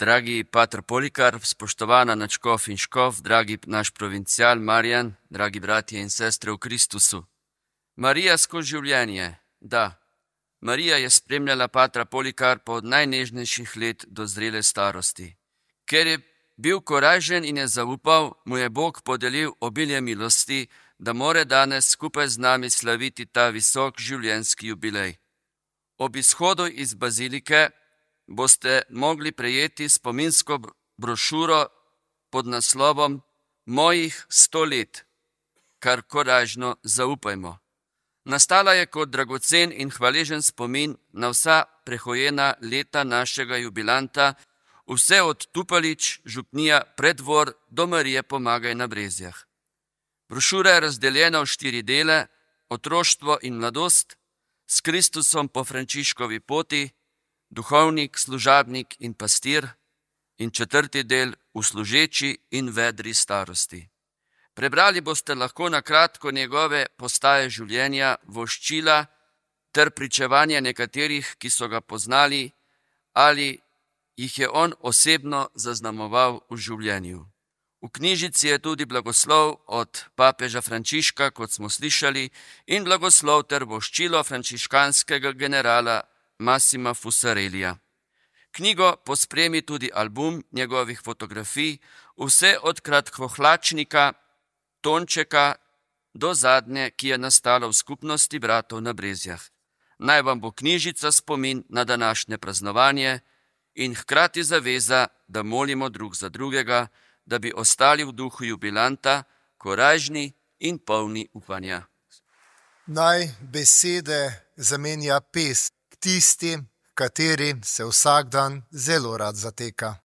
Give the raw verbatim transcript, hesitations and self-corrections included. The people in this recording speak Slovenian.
Dragi pater Polikarp, spoštovana nadškof in škof, dragi naš provincial Marjan, dragi bratje in sestre v Kristusu. Marija skozi življenje, da, Marija je spremljala patra Polikarpa od najnežnejših let do zrele starosti. Ker je bil korajžen in je zaupal, mu je Bog podelil obilje milosti, da more danes skupaj z nami slaviti ta visok življenjski jubilej. Ob izhodu iz bazilike boste mogli prejeti spominsko brošuro pod naslovom Mojih sto let, kar korajžno zaupajmo. Nastala je kot dragocen in hvaležen spomin na vsa prehojena leta našega jubilanta, vse od Tupalič, župnija Preddvor do Marije Pomagaj na Brezjah. Brošura je razdeljena v štiri dele: otroštvo in mladost, s Kristusom po Frančiškovi poti, duhovnik, služabnik in pastir, in četrti del v služeči in vedri starosti. Prebrali boste lahko na kratko njegove postaje življenja, voščila ter pričevanje nekaterih, ki so ga poznali ali jih je on osebno zaznamoval v življenju. V knjižici je tudi blagoslov od papeža Frančiška, kot smo slišali, in blagoslov ter voščilo frančiškanskega generala Massima Fusarellija. Knjigo pospremi tudi album njegovih fotografij, vse od kratkohlačnika Tončeka do zadnje, ki je nastala v skupnosti bratov na Brezjah. Naj vam bo knjižica spomin na današnje praznovanje in hkrati zaveza, da molimo drug za drugega, da bi ostali v duhu jubilanta, korajžni in polni upanja. Naj besede zamenja pes k tistim, kateri se vsak dan zelo rad zateka.